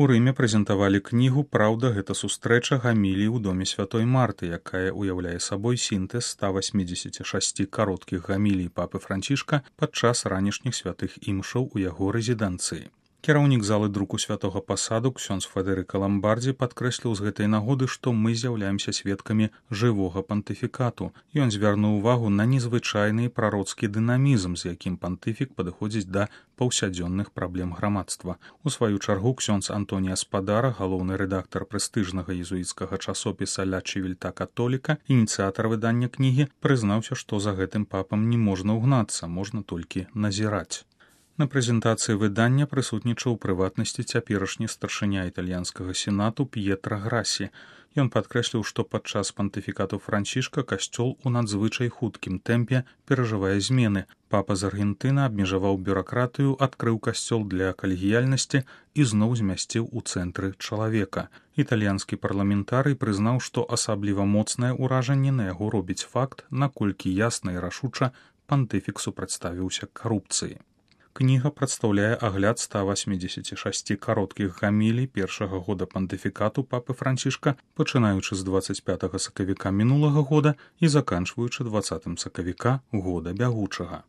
У Рыме прэзентавалі кнігу «Праўда, гэта сустрэча» гамілій у доме святой Марты, якая ўяўляе сабой сінтэз 186 кароткіх гамілій папы Францішка падчас ранішніх святых імшаў у яго рэзідэнцыі. Кіраўнік залы друку святога пасаду ксёндз Федэрыка Ламбардзі падкрэсліў з гэтай нагоды, што мы з'яўляемся сведкамі жывога пантыфікату. Ён звярнуў увагу на незвычайны прароцкі дынамізм, з якім пантыфік падыходзіць да паўсядзённых праблем грамадства. У сваю чаргу ксёндз Антонія Спадара, галоўны рэдактар прэстыжнага езуіцкага часопіса «Ля Чывільта Католіка», ініцыятар выдання кнігі, прызнаўся, што за гэтым папам не можна ўгнацца, можна толькі назіраць. На прэзентацыі выдання прысутнічаў у прыватнасці цяперашні старшыня італьянскага сенату П'етра Грасі. Ён падкрэсліў, што падчас пантыфікату Францішка касцёл у надзвычай хуткім тэмпе перажывае змены. Папа з Аргентына абмежаваў бюракратыю, адкрыў касцёл для калегіяльнасці і зноў змясціў у цэнтры чалавека. Італьянскі парламентарый прызнаў, што асабліва моцнае ўражанне на яго робіць факт, наколькі ясна і рашуча пантыфік супрацьставіўся карупцыі. Кніга прадстаўляе агляд 186 кароткіх гамілій першага года пантыфікату папы Францішка, пачынаючы з 25 сакавіка мінулага года і заканчваючы 20 сакавіка года бягучага.